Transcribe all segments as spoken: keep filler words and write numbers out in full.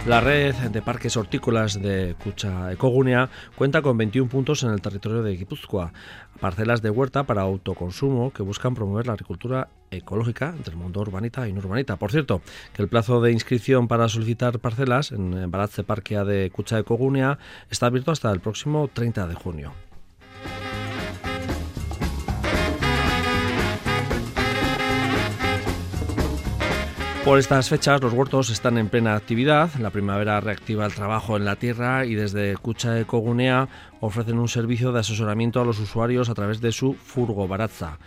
La red de parques hortícolas de Kutxa Ekogunea cuenta con veintiún puntos en el territorio de Guipúzcoa, parcelas de huerta para autoconsumo que buscan promover la agricultura ecológica del mundo urbanita y no urbanita. Por cierto, que el plazo de inscripción para solicitar parcelas en Baratze Parkea de Kutxa Ekogunea está abierto hasta el próximo treinta de junio. Por estas fechas los huertos están en plena actividad, la primavera reactiva el trabajo en la tierra y desde Kutxa Ekogunea ofrecen un servicio de asesoramiento a los usuarios a través de su Furgo Baratza.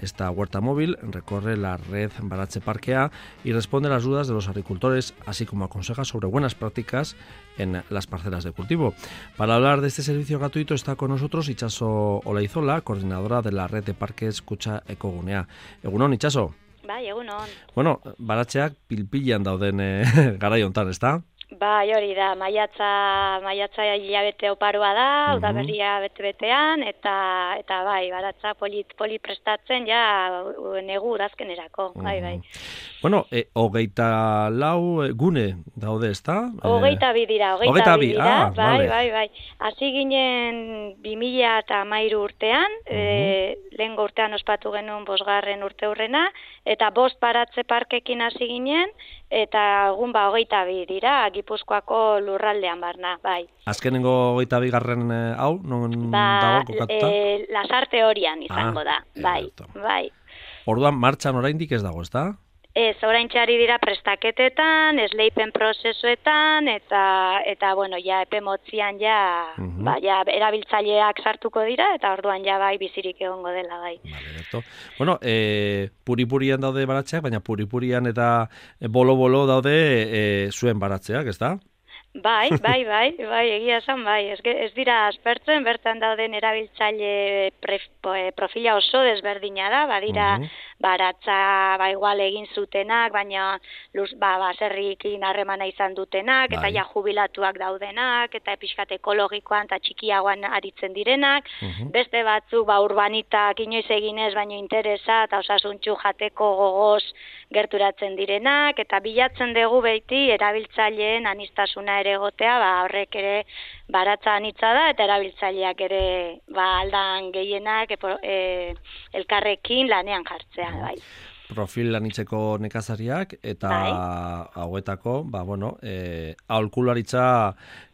Esta huerta móvil recorre la red Baratze Parkea y responde a las dudas de los agricultores, así como aconseja sobre buenas prácticas en las parcelas de cultivo. Para hablar de este servicio gratuito está con nosotros Itxaso Olaizola, coordinadora de la red de parques Kutxa Ekogunea. Egunon, Itxaso. Bai, egunon. Bueno, baratzeak pilpilan dauden e, garai hontan, ezta? Bai, hori da, maiatza, maiatza hilabete oparoa da, uh-huh. Udaberria bete-betean, eta eta bai, baratza polit, polit prestatzen ja negu udazkenerako, uh-huh. Bai, bai. Bueno, e, hogeita lau gune daude, ezta? Hogeita bi dira, hogeita bi dira, ah, bai, vale. bai, bai. Hasi ginen bi mila eta hamairu urtean, uh-huh. e, lehengo urtean ospatu genuen bosgarren urte hurrena, eta bost baratze parkekin hasi ginen, eta egun ba hogeita bi dira, Gipuzkoako lurraldean barna, bai. Azkenengo hogeita bigarren hau, non ba, dago kokatuta? E, Lasarte horian izango ah, da, bai, eto. bai. Orduan martxan oraindik ez dago, ezta? Ez, oraintxari dira prestaketetan, esleipen prozesuetan, eta, eta bueno, ja, epe motzian ja, uh-huh. ba, ja, erabiltzaileak sartuko dira, eta orduan ja bai bizirik egongo dela, bai. Vale, eto. Bueno, e, puripurian daude baratzeak, baina puripurian eta bolo-bolo daude e, zuen baratzeak, ezta? Bai, bai, bai, bai, egia esan, bai, ez, ez dira aspertzen, bertan dauden erabiltzaile pre, profila oso desberdina da, badira uh-huh. baratza ba, igual egin zutenak, baina luz, ba, baserrikin harremana izan dutenak, bai. Eta ja jubilatuak daudenak, eta pixkat ekologikoan eta txikiagoan aritzen direnak, uh-huh. beste batzuk ba, urbanitak inoiz eginez, baino interesa eta osasuntxu jateko gogoz gerturatzen direnak, eta bilatzen dugu beti erabiltzaileen anistasuna ere egotea, ba, horrek ere baratza anitza da, eta erabiltzaileak ere ba, aldan gehienak e, e, elkarrekin lanean jartzea, bai. Profil anitzeko nekazariak, eta bai. Hauetako, ba, bueno, e, aholkularitza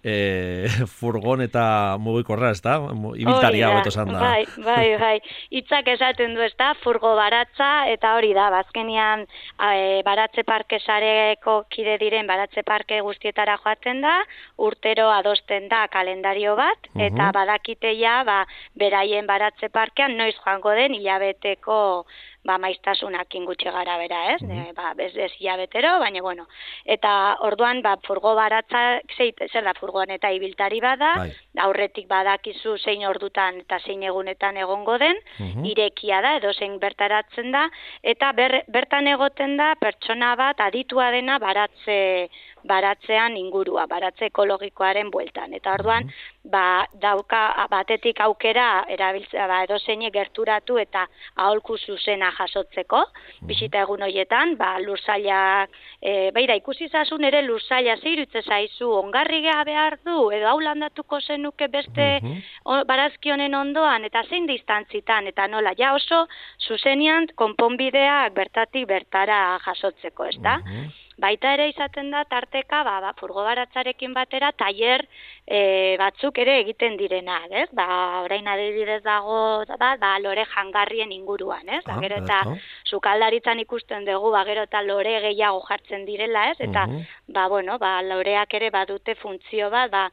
e, furgon eta mugikorra, ez da? Ibiltaria hobeto esan da. Bai, bai, bai. Itzak esaten du, ez da, furgo baratza, eta hori da, bazkenian e, baratze parke sareko kide diren baratze parke guztietara joaten da, urtero adosten da kalendario bat, uh-huh. eta badakiteia, ba, beraien baratze parkean noiz joango den hilabeteko ba, maiztasunakin gutxi gara bera, ez? Uh-huh. Ba, ez, ez hilabetero, baina, bueno. Eta orduan, ba, furgo baratza, zer da furgoan eta ibiltari bada, bai. Aurretik badakizu zein ordutan eta zein egunetan egongo den, uh-huh. irekia da, edo zein bertaratzen da, eta ber, bertan egoten da pertsona bat aditua dena baratze baratzean ingurua, baratze ekologikoaren bueltan. Eta orduan, uh-huh. ba, dauka batetik aukera erabiltzea, ba, edo zeinek gerturatu eta aholku zuzena jasotzeko, uh-huh. bisita egun horietan, ba, lursailak, e, beira, ikusi zazun ere lursaila zeirutze zaizu, ongarri geha behar du, edo hau landatuko zenuke beste uh-huh. barazki honen ondoan, eta zein distantzitan, eta nola, ja oso zuzenian konponbideak bertatik bertara jasotzeko, ez da? Uh-huh. Baita ere izaten da tarteka, ba, ba, furgo baratzarekin batera, tailer e, batzuk ere egiten direnak, ez? Ba, orain adibidez dago, ba, ba, lore jangarrien inguruan, ez? Ba, gero eta sukaldaritzan ikusten dugu, ba, gero eta lore gehiago jartzen direla, ez? Eta, uh-huh. ba, bueno, ba, loreak ere badute funtzio bat, ba,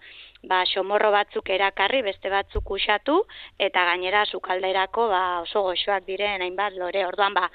ba, xomorro batzuk erakarri, beste batzuk usatu, eta gainera sukalderako ba, oso goxoak diren hainbat lore. Orduan, ba,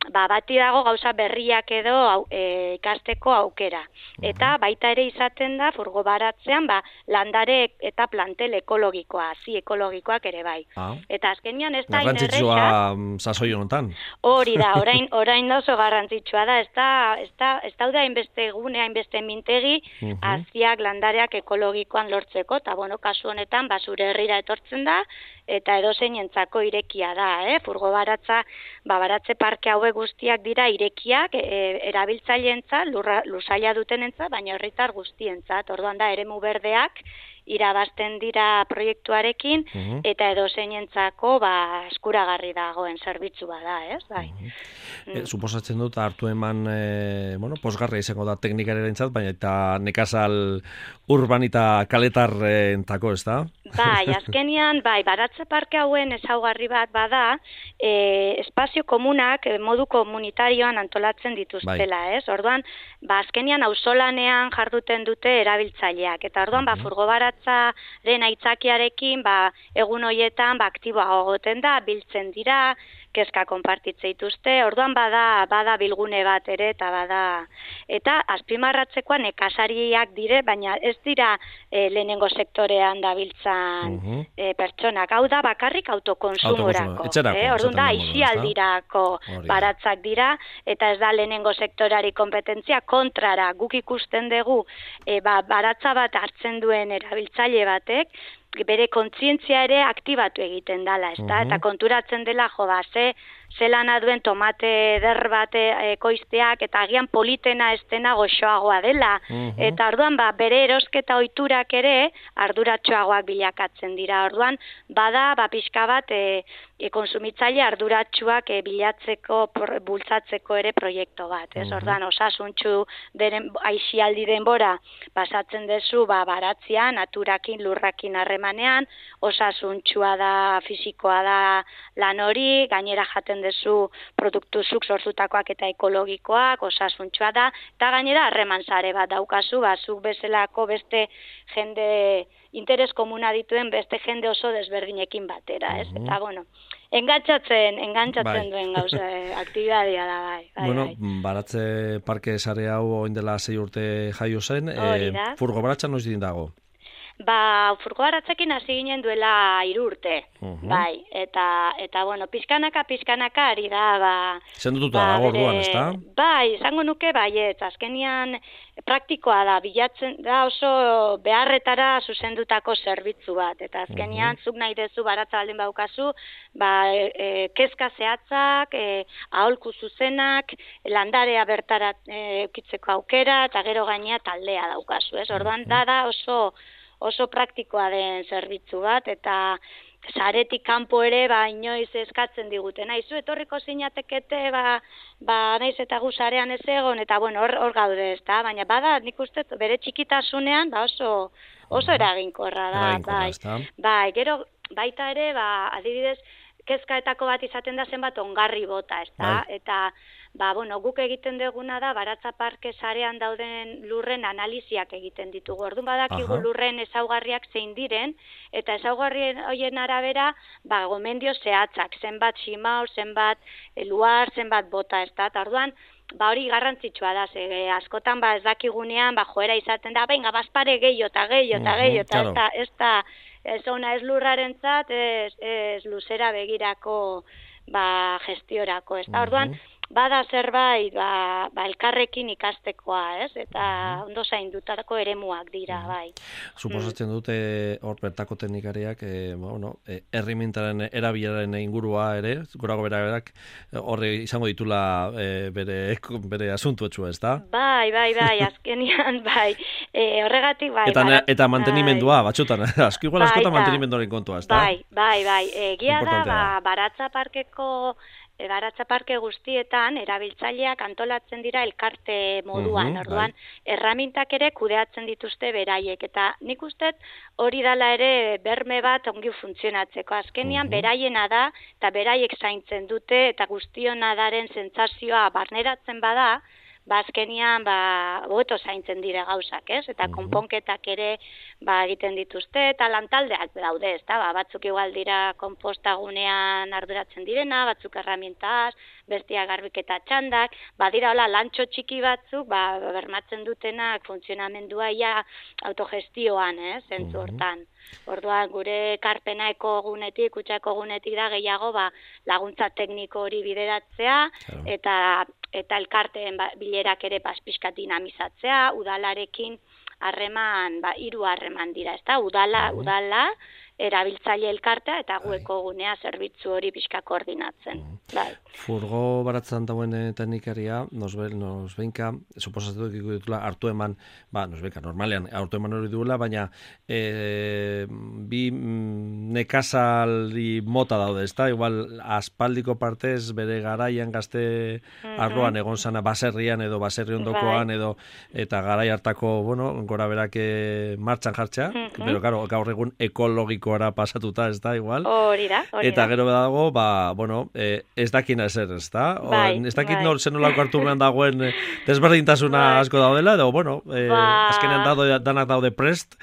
ba, bati dago gauza berriak edo au, e, ikasteko aukera. Eta baita ere izaten da, furgo baratzean, ba, landare eta plantel ekologikoa, hazi ekologikoak ere bai. Ah. Eta azkenian ez da garrantzitsua sasoi honetan. Hori da, orain, orain da oso garrantzitsua da, ez da, ez da, ez daude hainbeste gune, hainbeste mintegi, haziak, landareak ekologikoan lortzeko, eta bueno, kasu honetan, basure herrira etortzen da, eta edozein entzako irekia da, eh? Furgo baratza, ba, baratze parke hauek guztiak dira irekiak, e, erabiltzaileentzat, lusaila dutenentzat, baina herritar guztientzat, orduan da, eremu berdeak, irabazten dira proiektuarekin, uh -huh. eta edozeinentzako ba, eskuragarri dagoen zerbitzua da, ez? Bai. Uh -huh. mm. e, suposatzen dut, hartu eman, e, bueno, posgarra izango da teknikarentzat, baina eta nekazal urban eta kaletarrentzako, ez da? Bai, azkenian, bai, baratze parke hauen ezaugarri bat bada, e, espazio komunak modu komunitarioan antolatzen dituztela, bai. Ez? Orduan, ba, azkenian auzolanean jarduten dute erabiltzaileak, eta orduan, uh -huh. ba, furgo baratzaren aitzakiarekin, ba, egun hoietan, ba, aktiboa goten da, biltzen dira, kezka konpartitze dituzte, orduan bada, bada bilgune bat ere, eta bada, eta azpimarratzekoa nekazariak dire, baina ez dira e, lehenengo sektorean dabiltzan uh -huh. e, pertsonak, hau da bakarrik autokonsumorako, eh? Orduan da, aisialdirako baratzak dira, eta ez da lehenengo sektorari kompetentzia, kontrara, guk ikusten dugu, e, ba, baratza bat hartzen duen erabiltzaile batek, bere kontzientzia ere aktibatu egiten dela, ezta? Uh-huh. Eta konturatzen dela, jo, ba, ze, ze lana duen tomate eder bat ekoizteak, eta agian politena estena goxoagoa dela. Uh-huh. Eta orduan, ba, bere erosketa ohiturak ere arduratsuagoak bilakatzen dira. Orduan, bada, ba, pixka bat, e, e, konsumitzaile arduratsuak e, bilatzeko, por, bultzatzeko ere proiektu bat, ez? Uh-huh. Orduan, osasuntxu deren, aisialdi denbora, pasatzen dezu, ba, baratzean, naturakin, lurrakin harremanean, osasuntxua da, fisikoa da lan hori, gainera jaten dezu produktu zuk sortutakoak eta ekologikoak, osasuntxua da, eta gainera harreman sare bat daukazu, ba, zuk bezalako beste jende, interes komuna dituen beste jende oso desberdinekin batera, ez? Uh-huh. Eta, bueno, engantzatzen, engantzatzen bai. Duen gauza, aktibidadia da, bai. bai bueno, bai. Baratze parke sare hau oin dela sei urte jaio zen, e, furgo baratza noiz din dago? Ba, furgo baratzekin hasi ginen duela hiru urte, uh-huh. bai, eta, eta, bueno, pizkanaka, pizkanaka ari da, ba... Zendututa ba, dago orduan, ez da? Bai, izango nuke, bai, ez, azkenian praktikoa da, bilatzen da oso beharretara zuzendutako zerbitzu bat, eta azkenian, uh-huh. zuk nahi dezu baratza baldin baukazu, ba, e, e, kezka zehatzak, e, aholku zuzenak, landarea bertara e, eukitzeko aukera, eta gero gainea taldea daukazu, ez? Orduan, uh-huh. da, da oso... oso praktikoa den zerbitzu bat, eta saretik kanpo ere, ba, inoiz eskatzen diguten. Naizu, etorriko zinatekete, ba, ba, naiz eta gu sarean ez egon, eta, bueno, hor, hor gaude ez da, baina bada, nik uste, bere txikitasunean, ba, oso, oso eraginkorra da, bai. Bai, gero, baita ere, ba, adibidez, kezkaetako bat izaten da zenbat ongarri bota, ez da, eta, ba, bueno, guk egiten duguna da, baratza parke sarean dauden lurren analiziak egiten ditugu. Orduan badakigu lurren ezaugarriak zein diren, eta ezaugarrien horien arabera, ba, gomendio zehatzak, zenbat simau, zenbat luar, zenbat bota, ez da, eta orduan, ba, hori garrantzitsua da, ze, askotan, ba, ez dakigunean, ba, joera izaten da, benga, bazpare gehiago eta gehiago eta gehiago, eta ez da, ez da, ez ona ez lurrarentzat, ez, ez luzera begirako, ba, gestiorako, ez da, orduan, bada zerbait, ba, ba, elkarrekin ikastekoa, ez? Eta ondo zaindutako eremuak dira, bai. Suposatzen dute hor bertako teknikariak, e, bueno, e, errimintaren erabilaren ingurua ere, gorago beraberak, horre izango ditula e, bere, bere asuntuetxua, ez da? Bai, bai, bai, azkenian, bai. E, horregatik, bai. Eta, barat, eta mantenimendua, bai. Batxotan, asko igual askotan mantenimenduaren kontua, ez da? Bai, bai, bai. Egia da, ba, baratza parkeko baratza parke guztietan erabiltzaileak antolatzen dira elkarte moduan, uh-huh, orduan bai. Erramintak ere kudeatzen dituzte beraiek, eta nik uste hori dala ere berme bat ongi funtzionatzeko. Azkenian uh-huh. beraiena da, eta beraiek zaintzen dute, eta guztiona daren sentsazioa barneratzen bada, bazkenian, ba, hobeto zaintzen dira gauzak, ez? Eta Mhm. konponketak ere, ba, egiten dituzte, eta lantaldeak daude, ez da? Ba, batzuk igual dira konpostagunean arduratzen direna, batzuk herramientaz, bestia garbiketa txandak, badira hola lantxo txiki batzuk, ba, bermatzen dutenak funtzionamendua ia autogestioan, ez? Zentzu Mhm. hortan. Orduan, gure karpena ekogunetik, kutxa ekogunetik da gehiago, ba, laguntza tekniko hori bideratzea, Claro. eta eta elkarteen ba, bilerak ere pizkat dinamizatzea, udalarekin harreman, ba, hiru harreman dira, ezta? Udala, Mhm. udala, erabiltzaile elkartea eta gu Bai. ekogunea zerbitzu hori pixka koordinatzen. Mhm. Bai. Furgo baratzan dagoen eh, teknikaria, nos, be, nos benka, suposatu ditula hartu eman, ba, nos benka, normalean hartu eman hori duela, baina e, bi mm, nekazaldi mota daude, ezta? Igual, aspaldiko partez bere garaian gazte arloan egon zana baserrian edo baserri ondokoan Bai. edo eta garai hartako, bueno, gora berak eh, martxan jartzea, Mhm. pero claro, gaur egun ekologikoara pasatuta, ez da, igual? Hori da, hori Eta da. gero dago, ba, bueno, eh, ez dakina ezer, ez da? O, Bai, ez dakit bai. nor zen nolako hartu behan dagoen eh, desberdintasuna Bai. asko daudela, edo, bueno, eh, Ba. azkenean dado, danak daude prest,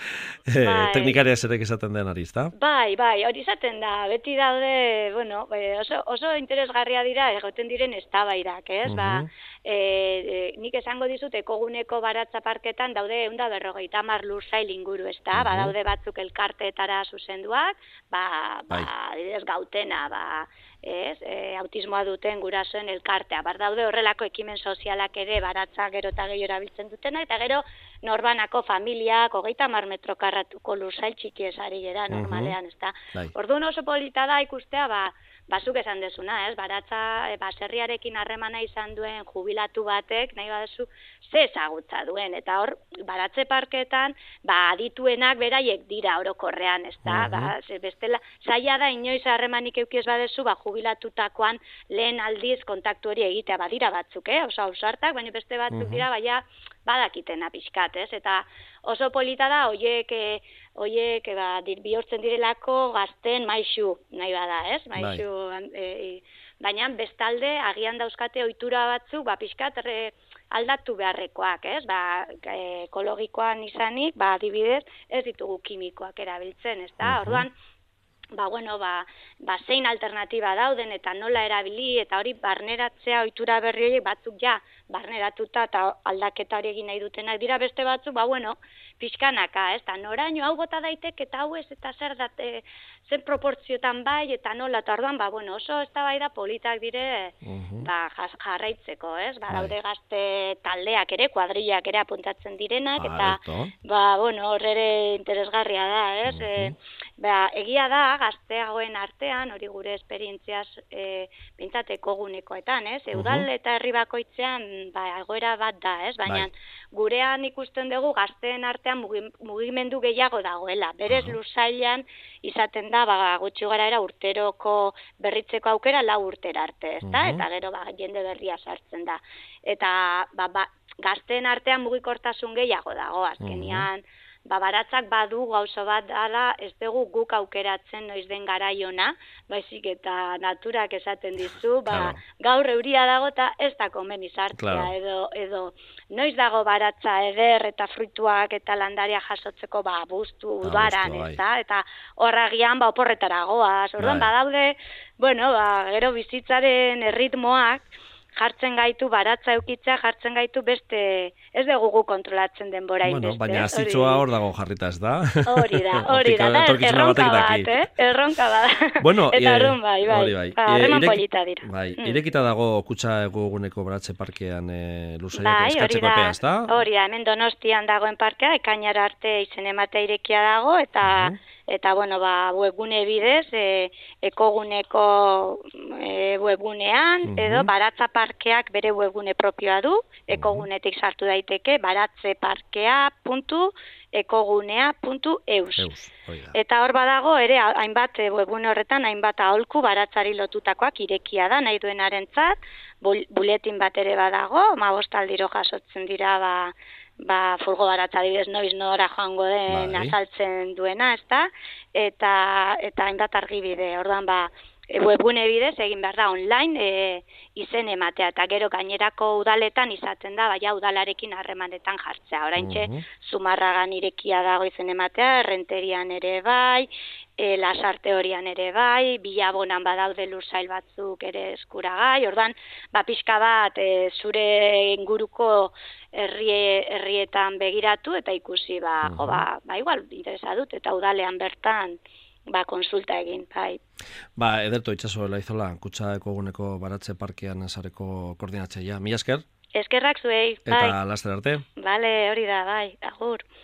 eh, Bai. teknikaria zerek esaten den ari, ez da? Bai, bai, hori izaten da, beti daude, bueno, eh, oso, oso interesgarria dira egoten diren eztabaidak, ez? Ba, Mhm. e, e, nik esango dizut ekoguneko baratza parketan daude ehun eta berrogeita hamar lursail inguru, ez da? Ba, Mhm. daude batzuk elkarteetara zuzenduak, ba, ba, Bai. adibidez gautena, ba, ez, e, autismoa duten gurasoen elkartea. Bar daude horrelako ekimen sozialak ere baratza gero eta gehiago erabiltzen dutena, eta gero norbanako familiak, hogeita hamar metro karratuko lursail txiki esari gera Mhm. normalean, ez da? Bai. Orduan oso polita da ikustea, ba, bazuk esan dezuna, ez? Baratza, e, baserriarekin harremana izan duen jubilatu batek, nahi baduzu, ze ezagutza duen, eta hor, baratze parketan, ba, adituenak beraiek dira orokorrean, ez da? Mhm. Ba, ze bestela, zaila da inoiz harremanik eukiez badezu, ba, jubilatutakoan lehen aldiz kontaktu hori egitea, badira batzuk, eh? Oso ausartak, baina beste batzuk Mhm. dira, baina badakitena pixkat, ez? Eta oso polita da, hoiek, e, hoiek, e, ba, dir, bihurtzen direlako gazten maixu, nahi bada, ez? Maixu, e, baina bestalde, agian dauzkate ohitura batzuk, ba, pixkat re, aldatu beharrekoak, ez? Ba, e, ekologikoan izanik, ba, adibidez, ez ditugu kimikoak erabiltzen, ez da? Mhm. Orduan, ba, bueno, ba, ba, zein alternatiba dauden eta nola erabili, eta hori barneratzea ohitura berri horiek batzuk ja barneratuta eta aldaketa hori egin nahi dutenak dira, beste batzuk, ba, bueno, pixkanaka, ez, eta noraino hau bota daiteke eta hau ez, eta zer dat, e, zen proportziotan bai, eta nola, eta orduan, ba, bueno, oso eztabaida politak dire, Mhm. ba, jas- jarraitzeko, ez, ba, Bai. daude gazte taldeak ere, kuadrillak ere apuntatzen direnak, eta, Alerto. ba, bueno, hor ere interesgarria da, ez, Mhm. e, ba, egia da, gazteagoen artean, hori gure esperientziaz, e, bintzat ekogunekoetan, ez, Mhm. udal eta herri bakoitzean, ba, egoera bat da, ez, baina Bai. gurean ikusten dugu gazteen artean mugi- mugimendu gehiago dagoela. Berez Aha. lursailean izaten da, ba, gutxi garaera urteroko berritzeko aukera lau urtera arte, ezta? Mhm. Eta gero, ba, jende berria sartzen da. Eta, ba, ba, gazteen artean mugikortasun gehiago dago, azkenian, ba, baratzak badu gauza bat dala, ez dugu guk aukeratzen noiz den garaiona, baizik eta naturak esaten dizu, ba, Claro. gaur euria dago eta ez da komeni sartzea, Claro. edo, edo noiz dago baratza eder eta fruituak eta landaria jasotzeko, ba, buztu Ba, udaran, buztu, bai. ez da, eta horragian, ba, oporretara goaz, orduan, Bai. badaude, bueno, ba, gero bizitzaren erritmoak, jartzen gaitu, baratza eukitzea, jartzen gaitu beste, ez dugu gu kontrolatzen denbora Bueno, inbeste. baina hori- azitzua hor dago jarrita, ez da? Hori da, hori da, da, Etorkizuna erronka batek bat, daki. eh? Erronka bat. Bueno, eta eh, arrun bai, bai. hori bai. Ba, Eh, harreman ireki- polita dira. Bai, Mm. irekita dago kutxa eguneko baratze parkean e, luzaiak Bai, hori eskatzeko da, epea, ez da? hori da, hemen Donostian dagoen parkea, ekainara arte izen ematea irekia dago, eta, Mhm. eta bueno, ba, webgune bidez, e, ekoguneko e, webgunean, Mhm. edo baratza parkeak bere webgune propioa du, ekogunetik sartu daiteke, baratzeparkea puntu ekogunea puntu eus. Eus, hori da. Eta hor badago ere hainbat e, webgune horretan hainbat aholku baratzari lotutakoak irekia da nahi duenarentzat, bul- buletin bat ere badago, hamabost aldiro jasotzen dira ba ba furgo baratza adibidez noiz nora joango den Bai. azaltzen duena, ezta? Eta eta hainbat argibide. Orduan ba webgune bidez egin behar da online e, izen ematea, eta gero gainerako udaletan izaten da, baina udalarekin harremanetan jartzea. Oraintxe, uh -huh. Zumarragan irekia dago izen ematea, Errenterian ere bai, e, Lasarte horian ere bai, Bilabonan badaude lursail batzuk ere eskuragai, ordan, ba, pixka bat e, zure inguruko herrie, herrietan begiratu eta ikusi, ba, uh -huh. jo, ba, ba, igual, interesa dut, eta udalean bertan, ba, konsulta egin, bai. Ba, Ederto Itxaso Elaizola, Kutxa Ekoguneko Baratze Parkean sareko koordinatzailea. Mila esker? Eskerrak zuei, bai. Eta laster arte. Bale, hori da, bai, agur.